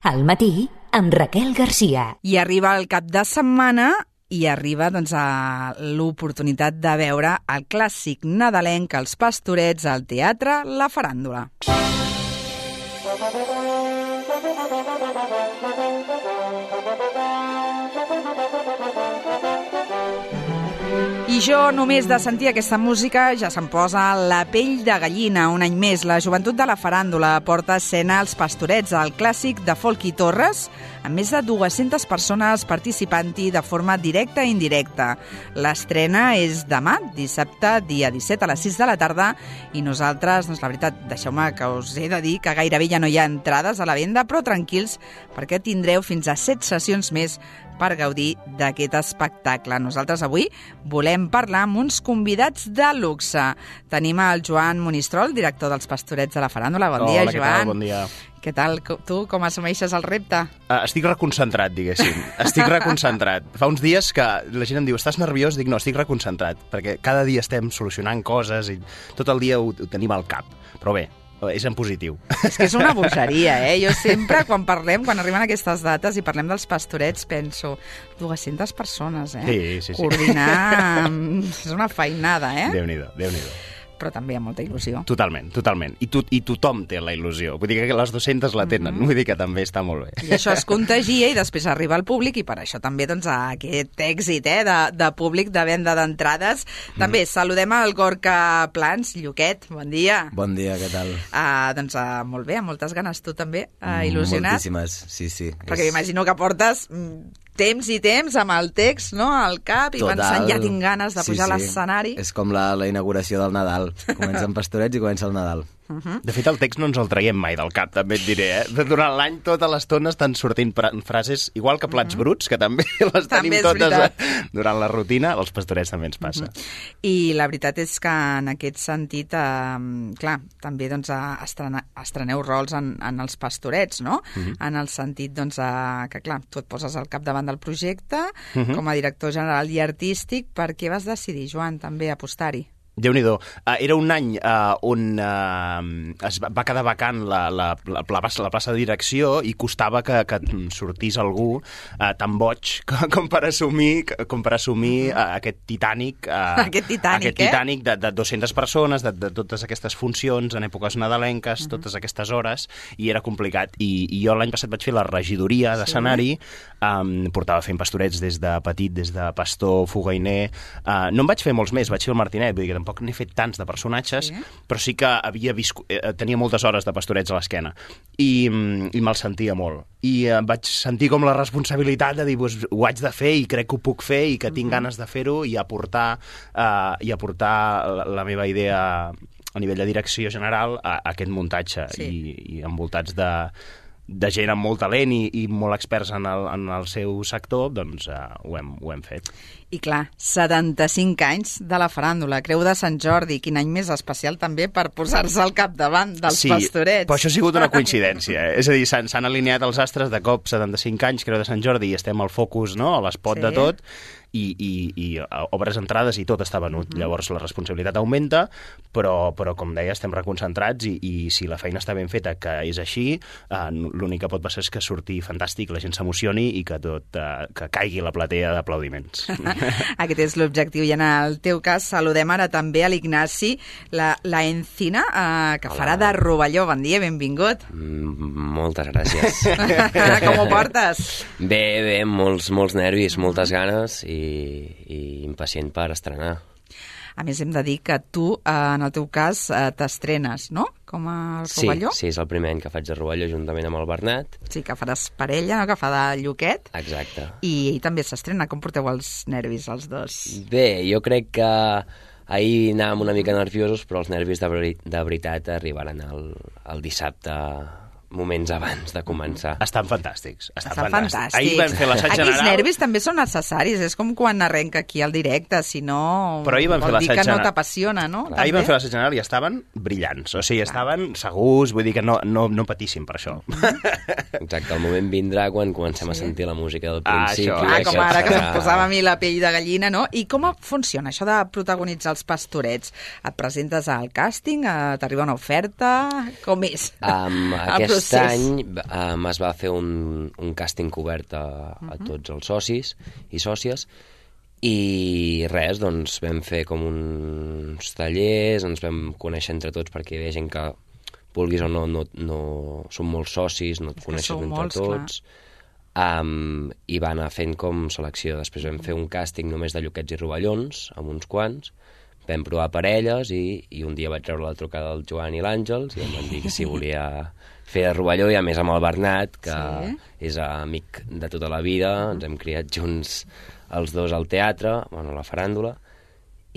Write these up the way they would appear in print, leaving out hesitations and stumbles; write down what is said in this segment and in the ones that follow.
Al matí, amb Raquel Garcia. I arriba el cap de setmana i arriba l'oportunitat de veure el clàssic nadalenc Els Pastorets al teatre La Faràndula. I jo, només de sentir aquesta música, ja se'm posa la pell de gallina. Un any més, la joventut de la Faràndula porta a escena Els Pastorets, el clàssic de Folky Torres, amb més de 200 persones participant-hi de forma directa i indirecta. L'estrena és demà, dissabte, dia 17, a les 6 de la tarda, i nosaltres, doncs la veritat, deixeu-me que us he de dir que gairebé ja no hi ha entrades a la venda, però tranquils, perquè tindreu fins a 7 sessions més per gaudir d'aquest espectacle. Nosaltres avui volem parlar amb uns convidats de luxe. Tenim el Joan Monistrol, director dels Pastorets de la Faràndula. Bon dia, Joan. Hola, què tal? Bon dia. Què tal? Tu, com assumeixes el repte? Estic reconcentrat, diguéssim. Estic reconcentrat. Fa uns dies que la gent em diu, estàs nerviós? Dic, no, estic reconcentrat, perquè cada dia estem solucionant coses i tot el dia ho tenim al cap. Però bé, és en positiu. És que és una bogeria, eh? Jo sempre, quan arriben aquestes dates i parlem dels Pastorets, penso, 200 persones, eh? Sí. Coordinar és una feinada, eh? Déu-n'hi-do, Déu-n'hi-do. Però també hi ha molta il·lusió. Totalment. I tothom té la il·lusió. Vull dir que les 200 la tenen. Vull dir que també està molt bé. I això es contagia i després arriba al públic i per això també doncs, aquest èxit de públic, de venda d'entrades. També saludem al Gorka Plans. Lluquet, bon dia. Bon dia, què tal? Doncs molt bé, amb moltes ganes. Tu també, il·lusionat? Moltíssimes, sí. Perquè m'imagino que portes temps i temps amb el text, no?, al cap i pensant, ja tinc ganes de pujar a l'escenari. És com la inauguració del Nadal. Comença amb Pastorets i comença el Nadal. De fet, el text no ens el traiem mai del cap, també et diré, eh? Durant l'any, tota l'estona estan sortint frases, igual que plats bruts, que també les tenim totes durant la rutina, als Pastorets també ens passa. I la veritat és que en aquest sentit, clar, també doncs, estreneu rols en els Pastorets, no? En el sentit doncs, que, clar, tu et poses al capdavant del projecte, com a director general i artístic. Per què vas decidir, Joan, també apostar-hi? Déu-n'hi-do. Era un any on es va quedar vacant la plaça de direcció i costava que sortís algú tan boig com per assumir aquest Titanic, aquest Titanic de 200 persones, de totes aquestes funcions en èpoques nadalenques, totes aquestes hores, i era complicat. I jo l'any passat vaig fer la regidoria d'escenari, portava fent Pastorets des de petit, des de Pastor, Fogainer. No en vaig fer molts més, vaig fer el Martinet, vull dir que tampoc n'he fet tants de personatges, però sí que tenia moltes hores de Pastorets a l'esquena i me'l sentia molt. I vaig sentir com la responsabilitat de dir, ho haig de fer i crec que ho puc fer i que tinc ganes de fer-ho i aportar la meva idea a nivell de direcció general a aquest muntatge i envoltats de gent amb molt talent i molt experts en el seu sector, doncs ho hem fet. I clar, 75 anys de la Faràndula, Creu de Sant Jordi, quin any més especial també per posar-se al capdavant dels Pastorets. Sí, però això ha sigut una coincidència. És a dir, s'han alineat els astres de cop, 75 anys, Creu de Sant Jordi, i estem al focus, no?, a l'espot de tot, i obres entrades i tot està venut. Llavors la responsabilitat augmenta, però com deia, estem reconcentrats i si la feina està ben feta, que és així, l'únic que pot passar és que surti fantàstic, la gent s'emocioni i que caigui la platea d'aplaudiments. Aquest és l'objectiu. I en el teu cas saludem ara també a l'Ignasi, la Encina, que farà de Rovelló. Bon dia, benvingut. Moltes gràcies. Com ho portes? Bé, molts nervis, moltes ganes i impacient per estrenar. A més, hem de dir que tu, en el teu cas, t'estrenes, no?, com a Rovelló? Sí, és el primer any que faig de Rovelló juntament amb el Bernat. Sí, que faràs parella, no?, que fa de Lluquet. Exacte. I ell també s'estrena. Com porteu els nervis, els dos? Bé, jo crec que ahir anàvem una mica nerviosos, però els nervis de veritat arribaran el dissabte, moments abans de començar. Estan fantàstics. Fantàstics. Ahir vam fer l'assaig general. Aquells nervis també són necessaris, és com quan arrenca aquí al directe, si no vol dir que no t'apassiona, no? Ahir vam fer l'assaig general i estaven brillants, o sigui, estaven segurs, vull dir que no patíssim per això. Exacte, el moment vindrà quan comencem a sentir la música del principi. Com ara que se'm posava a mi la pell de gallina, no? I com funciona això de protagonitzar els Pastorets? Et presentes al càsting? T'arriba una oferta? Com és? Aquest any es va fer un càsting cobert a tots els socis i sòcies, i res, doncs vam fer com uns tallers, ens vam conèixer entre tots perquè hi havia gent que, vulguis o no som molts socis, no et coneixes entre tots, i va anar fent com selecció. Després vam fer un càsting només de Lluquets i Rovellons, amb uns quants, vam provar parelles i un dia vaig treure la trucada del Joan i l'Àngels i em van dir que si volia fer de Rovelló, i a més amb el Bernat, que és amic de tota la vida, ens hem criat junts els dos al teatre, bueno, a la faràndula,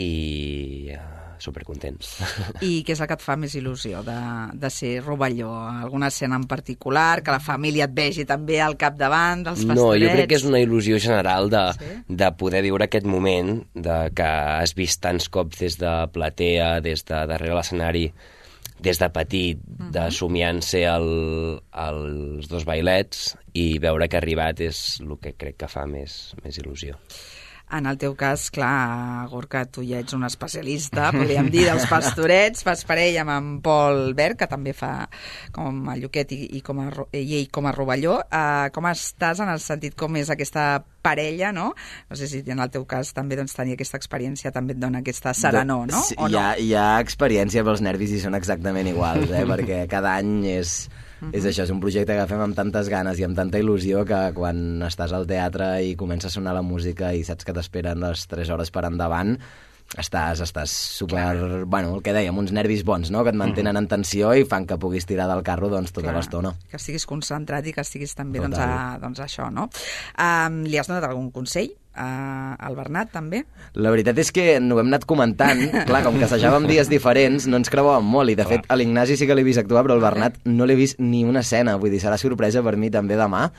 i supercontents. I què és el que et fa més il·lusió de ser Rovelló? Alguna escena en particular, que la família et vegi també al capdavant dels pastorets? No, jo crec que és una il·lusió general de poder viure aquest moment, de que has vist tants cops des de platea, des de darrere l'escenari, des de petit, de somiant-se els dos bailets, i veure que ha arribat és el que crec que fa més il·lusió. En el teu cas, clar, Gorka, tu ja ets un especialista, podríem dir, dels pastorets, fas parella amb en Pol Berg, que també fa com a Lluquet i ell com a Rovelló. Com estàs en el sentit com és aquesta parella, no? No sé si en el teu cas també tenir aquesta experiència també et dona aquesta serenor, no? Sí, hi ha experiència, però els nervis hi són exactament iguals, perquè cada any és això, és un projecte que fem amb tantes ganes i amb tanta il·lusió que quan estàs al teatre i comença a sonar la música i saps que t'esperen les 3 hores per endavant, estàs super... Bueno, el que dèiem, uns nervis bons, no?, que et mantenen en tensió i fan que puguis tirar del carro tota l'estona. Que estiguis concentrat i que estiguis també això, no? Li has donat algun consell al Bernat, també? La veritat és que no ho hem anat comentant. Clar, com que assajàvem dies diferents, no ens creuàvem molt, i de fet a l'Ignasi sí que l'he vist actuar, però al Bernat no l'he vist ni una escena, vull dir, serà sorpresa per mi també demà,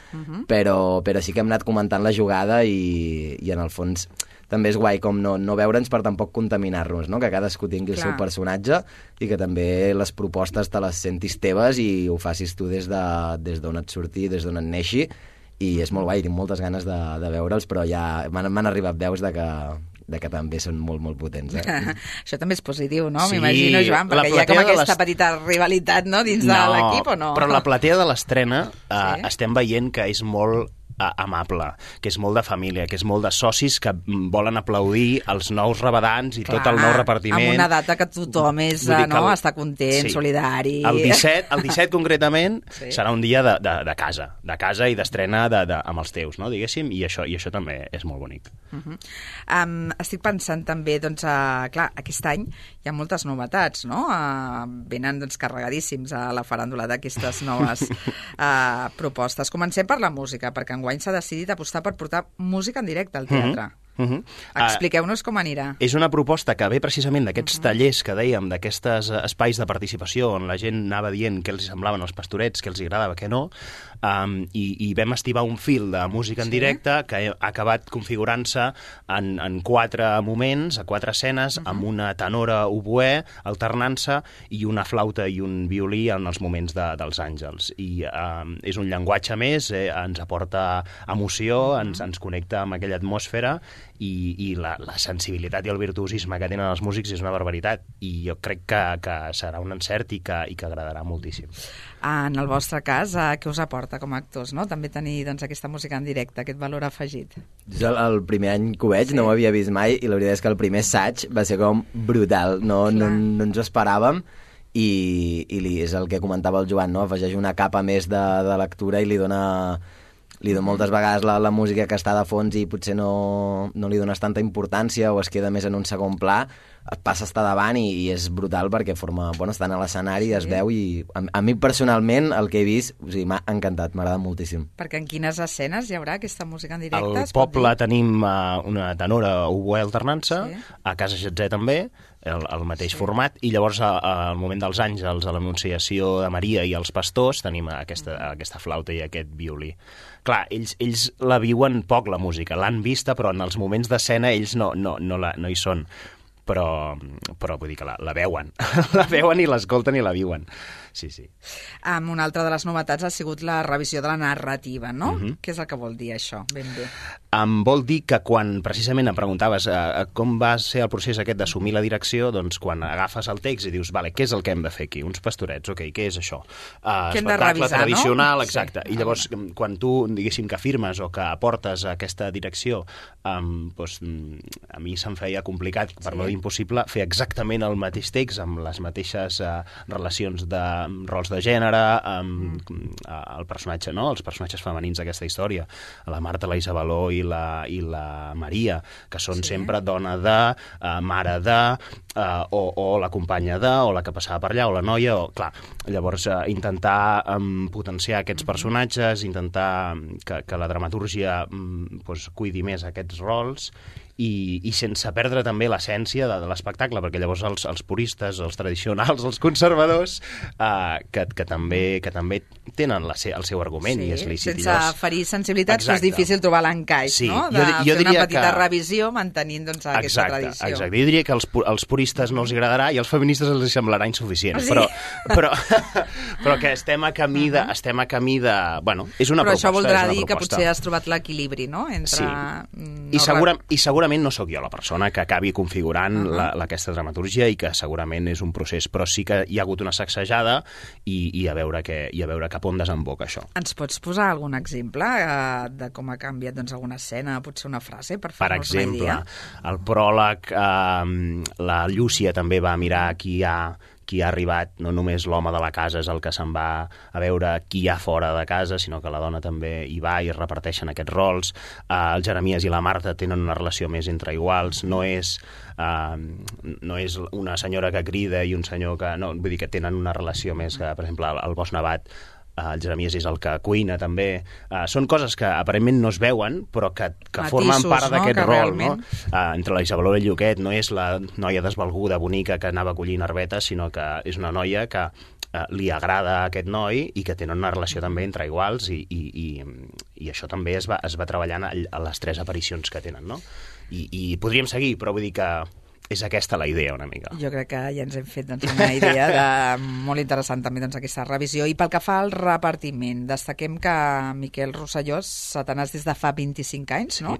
però sí que hem anat comentant la jugada i en el fons també és guai com no veure'ns per tampoc contaminar-nos, no? Que cadascú tingui el seu personatge i que també les propostes te les sentis teves i ho facis tu des d'on et surti, des d'on et neixi, i és molt guai, tinc moltes ganes de veure'ls, però ja m'han arribat veus de que també són molt, molt potents. Això també és positiu, no? Sí, m'imagino, Joan, perquè hi ha com aquesta petita rivalitat, no?, dins de l'equip, o no? Però la platea de l'estrena estem veient que és molt amable, que és molt de família, que és molt de socis que volen aplaudir els nous rabadans i tot el nou repartiment. Amb una data que tothom està content, solidari. El 17 concretament serà un dia de casa i d'estrena amb els teus, no, diguéssim, i això també és molt bonic. Estic pensant també, clar, aquest any hi ha moltes novetats, no? Venen carregadíssims a la faràndula d'aquestes noves propostes. Comencem per la música, perquè enguany s'ha decidit apostar per portar música en directe al teatre. Expliqueu-nos com anirà. És una proposta que ve precisament d'aquests tallers que dèiem, d'aquests espais de participació on la gent anava dient què els semblaven els pastorets, què els agradava, què no, i vam estivar un fil de música en directe que ha acabat configurant-se en 4 moments, a 4 escenes, amb una tenora oboè alternant-se i una flauta i un violí en els moments dels àngels. I és un llenguatge més, ens aporta emoció, ens connecta amb aquella atmosfera, i la sensibilitat i el virtuosisme que tenen els músics és una barbaritat, i jo crec que serà un encert i que agradarà moltíssim. En el vostre cas, què us aporta com a actors, no? També tenir aquesta música en directe, aquest valor afegit. Jo el primer any que ho veig no ho havia vist mai, i la veritat és que el primer assaig va ser com brutal, no ens ho esperàvem, i és el que comentava el Joan, no? Afegeix una capa més de lectura i li dona moltes vegades la música que està de fons i potser no li dones tanta importància o es queda més en un segon pla, et passa a estar davant i és brutal perquè estan a l'escenari, es veu, i a mi personalment el que he vist m'ha encantat, m'agrada moltíssim. Perquè en quines escenes hi haurà aquesta música en directe? Al poble tenim una tenora oboè alternant-se, a Casa Xatzé també, el mateix format, i llavors al moment dels àngels, a l'Anunciació de Maria i els pastors, tenim aquesta flauta i aquest violí. Clar, ells la viuen poc, la música, l'han vista, però en els moments d'escena ells no hi són. Però vull dir que la veuen, la veuen i l'escolten i la viuen. Sí. Una altra de les novetats ha sigut la revisió de la narrativa, no? Què és el que vol dir això, ben bé? vol dir que quan precisament em preguntaves com va ser el procés aquest d'assumir la direcció, doncs quan agafes el text i dius, vale, què és el que hem de fer aquí? Uns pastorets, ok, què és això? Que hem de Espectacle revisar, tradicional, no? exacte. I llavors, quan tu, diguéssim, que afirmes o que aportes aquesta direcció, doncs, a mi se'm feia complicat, per no dir impossible, fer exactament el mateix text amb les mateixes relacions de rols de gènere, el personatge, no? Els personatges femenins d'aquesta història, la Marta, la Isabeló i la Maria, que són sempre dona de, mare de, o la companya de, o la que passava per allà, o la noia, o... Clar, llavors intentar potenciar aquests personatges, intentar que la dramatúrgia cuidi més aquests rols i sense perdre també l'essència de l'espectacle, perquè llavors els puristes, els tradicionals, els conservadors, que també tenen el seu argument, i és lícit. Sense ferir sensibilitats, és difícil trobar l'encaix, no? De fer una petita revisió mantenint aquesta tradició. Exacte. Jo diria que als puristes no els agradarà i als feministes els semblarà insuficient, però que estem a camí de... Bueno, és una proposta. Però això voldrà dir que potser has trobat l'equilibri, no? Sí. I segurament no sóc jo la persona que acabi configurant aquesta dramatúrgia i que segurament és un procés, però sí que hi ha hagut una sacsejada i a veure cap on desemboca això. Ens pots posar algun exemple de com ha canviat alguna escena, potser una frase, per fer-nos una idea? Per exemple, el pròleg, la Llúcia també va mirar qui ha arribat, no només l'home de la casa és el que se'n va a veure qui hi ha fora de casa, sinó que la dona també hi va i es reparteixen aquests rols. El Jeremies i la Marta tenen una relació més entre iguals, no és una senyora que crida i un senyor que... No, vull dir que tenen una relació més que, per exemple, el Bosc Nevat, el Jeremies és el que cuina també. Són coses que aparentment no es veuen però que formen part d'aquest rol, no? Entre la Isabeló i el Lluquet no és la noia desvalguda, bonica que anava collint herbetes, sinó que és una noia que li agrada a aquest noi i que tenen una relació també entre iguals i això també es va treballant a les 3 aparicions que tenen, no? I podríem seguir, però vull dir que és aquesta la idea, una mica. Jo crec que ja ens hem fet una idea molt interessant també aquesta revisió. I pel que fa al repartiment, destaquem que Miquel Rosselló, Satanàs des de fa 25 anys, no?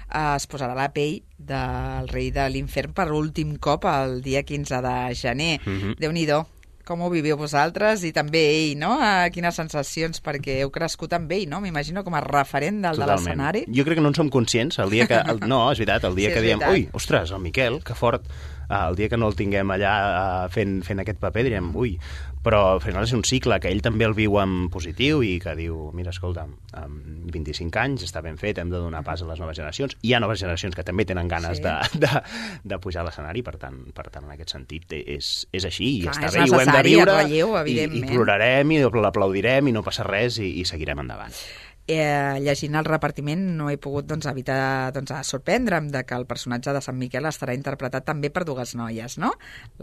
Es posarà la pell del rei de l'infern per últim cop el dia 15 de gener. Déu-n'hi-do. Com ho viviu vosaltres? I també ell, no? Quines sensacions, perquè heu crescut amb ell, no? M'imagino com a referent de l'escenari. Jo crec que no en som conscients. El dia que... No, és veritat, el dia que diem, ui, ostres, el Miquel, que fort. El dia que no el tinguem allà fent aquest paper direm, ui, però al final és un cicle que ell també el viu en positiu i que diu, mira, escolta, amb 25 anys està ben fet, hem de donar pas a les noves generacions. Hi ha noves generacions que també tenen ganes de pujar a l'escenari, per tant, en aquest sentit és així, i està bé, i ho hem de viure, i plorarem, i l'aplaudirem, i no passa res, i seguirem endavant. Llegint el repartiment no he pogut evitar sorprendre'm de que el personatge de Sant Miquel estarà interpretat també per 2 noies, no?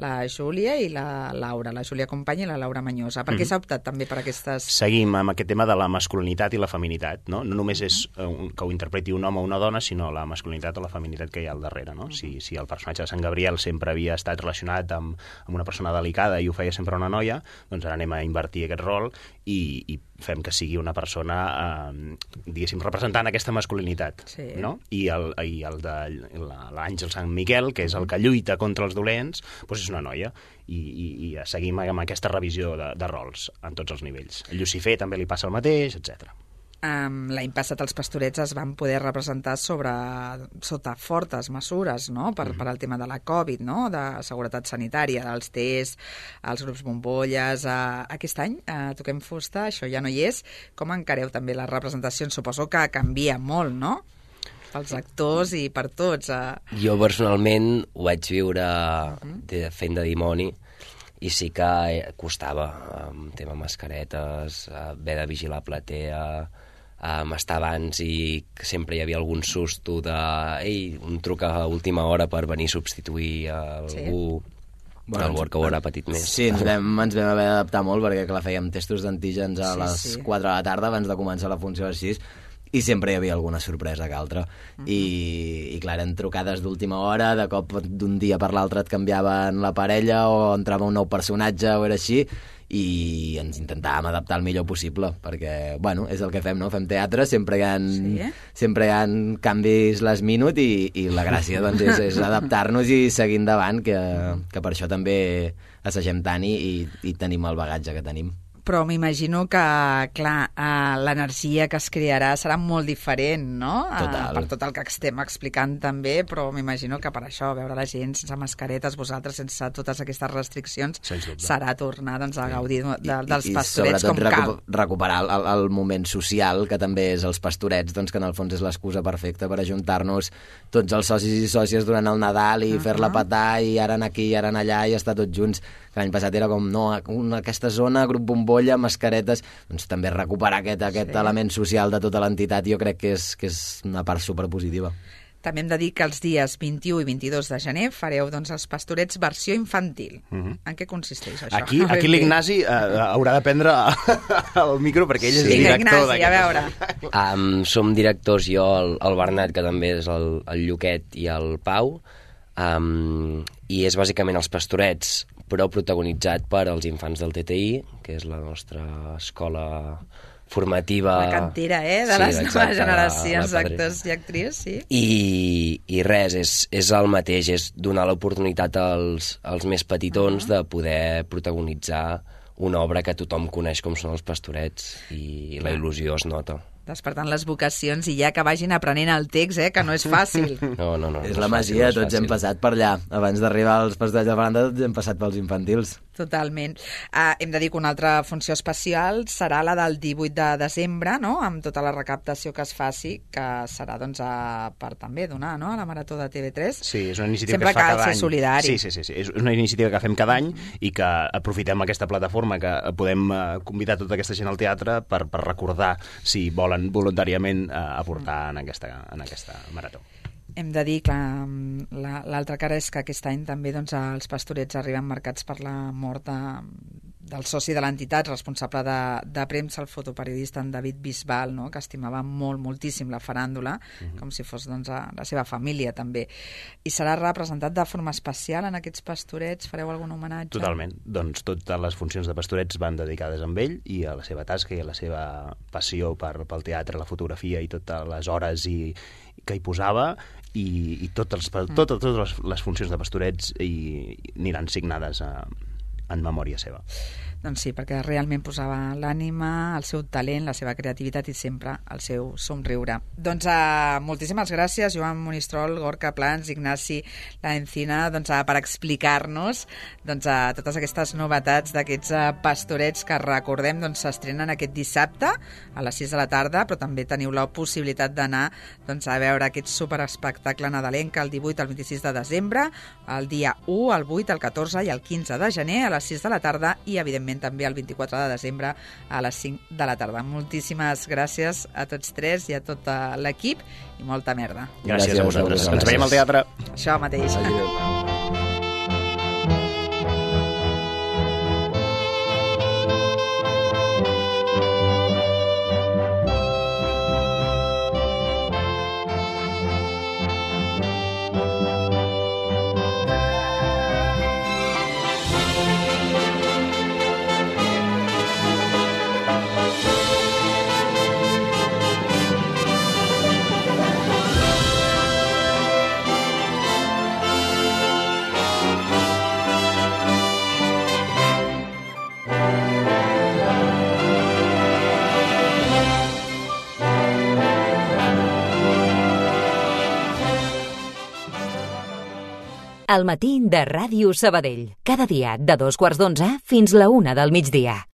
La Júlia i la Laura, la Júlia Company i la Laura Manyosa. Per què s'ha optat també per aquestes... Seguim amb aquest tema de la masculinitat i la feminitat, no? No només és que ho interpreti un home o una dona, sinó la masculinitat o la feminitat que hi ha al darrere, no? Si el personatge de Sant Gabriel sempre havia estat relacionat amb una persona delicada i ho feia sempre una noia, doncs ara anem a invertir aquest rol i fem que sigui una persona, diguéssim, representant aquesta masculinitat, no? I el de l'Àngel Sant Miquel, que és el que lluita contra els dolents, doncs és una noia. I seguim amb aquesta revisió de rols en tots els nivells. El Llucifer també li passa el mateix, etc. L'any passat els Pastorets es van poder representar sota fortes mesures, no? Per al tema de la Covid, no? De seguretat sanitària, dels tests, els grups bombolles. Aquest any toquem fusta, això ja no hi és. Com encareu també les representacions? Suposo que canvia molt, no? Pels actors i per tots. Jo personalment ho vaig viure fent de dimoni, i sí que costava, tema mascaretes, haver de vigilar platea, estar abans i sempre hi havia algun susto un truc a última hora per venir a substituir algú. El work ho haurà patit més. Sí, ens vam haver d'adaptar molt perquè clar, fèiem testos d'antígens a les 4 de la tarda abans de començar la funció a les 6. i sempre hi havia alguna sorpresa que altra. I clar, eren trucades d'última hora, de cop d'un dia per l'altre et canviaven la parella o entrava un nou personatge o era així, i ens intentàvem adaptar el millor possible, perquè, bueno, és el que fem, no? Fem teatre, sempre hi ha canvis last minute i la gràcia doncs, és adaptar-nos i seguir endavant, que per això també assagem tant i tenim el bagatge que tenim. Però m'imagino que, clar, l'energia que es crearà serà molt diferent, no? Total. Per tot el que estem explicant també, però m'imagino que per això, veure la gent sense mascaretes, vosaltres sense totes aquestes restriccions, serà tornar doncs, a gaudir dels pastorets com cal. I sobretot recuperar el moment social, que també és els pastorets, doncs, que en el fons és l'excusa perfecta per ajuntar-nos tots els socis i sòcies durant el Nadal i fer-la petar, i ara anar aquí, i ara anar allà, i estar tots junts. L'any passat era com, no, aquesta zona, grup bombolla, mascaretes, doncs també recuperar aquest element social de tota l'entitat, jo crec que és una part superpositiva. També hem de dir que els dies 21 i 22 de gener fareu doncs, els pastorets versió infantil. En què consisteix això? Aquí l'Ignasi haurà de prendre el micro perquè ell és director d'aquest. A veure. Som directors, jo, el Bernat, que també és el Lluquet, i el Pau, i és bàsicament els pastorets, però protagonitzat per als infants del TTI, que és la nostra escola formativa... La cantera, de les noves generacions d'actors i actrius, sí. I res, és el mateix, és donar l'oportunitat als més petitons de poder protagonitzar una obra que tothom coneix com són els pastorets, i la il·lusió es nota. Despertant les vocacions i ja que vagin aprenent el text, que no és fàcil. No. És la magia, tots hem passat per allà. Abans d'arribar als pastorets de Faranda, tots hem passat pels infantils. Totalment. Hem de dir que una altra funció especial serà la del 18 de desembre, no? Amb tota la recaptació que es faci, que serà doncs, per també donar, no?, a la Marató de TV3. Sí, és una iniciativa que es fa cada any. Sempre cal ser solidari. Sí. És una iniciativa que fem cada any i que aprofitem aquesta plataforma que podem convidar tota aquesta gent al teatre per recordar si volen voluntàriament aportar en aquesta marató. Hem de dir que l'altra cara és que aquest any també doncs, els pastorets arriben marcats per la mort del soci de l'entitat, responsable de premsa, el fotoperiodista en David Bisbal, no?, que estimava moltíssim la faràndula, com si fos doncs, la seva família també. I serà representat de forma especial en aquests pastorets? Fareu algun homenatge? Totalment. Doncs totes les funcions de pastorets van dedicades a ell i a la seva tasca i a la seva passió pel teatre, la fotografia i totes les hores que hi posava, i totes les funcions de pastorets aniran signades en memòria seva. Doncs sí, perquè realment posava l'ànima, el seu talent, la seva creativitat i sempre el seu somriure. Doncs moltíssimes gràcies, Joan Monistrol, Gorka Plans, Ignasi Laencina, per explicar-nos totes aquestes novetats d'aquests pastorets que, recordem, s'estrenen aquest dissabte a les 6 de la tarda, però també teniu la possibilitat d'anar a veure aquest superespectacle nadalenc el 18 al 26 de desembre, el dia 1, el 8, el 14 i el 15 de gener a les 6 de la tarda i, evidentment, també el 24 de desembre a les 5 de la tarda. Moltíssimes gràcies a tots tres i a tot l'equip i molta merda. Gràcies a vosaltres. Ens veiem al teatre. Això mateix. El matí de Ràdio Sabadell. Cada dia de 2:15 fins la 1 del migdia.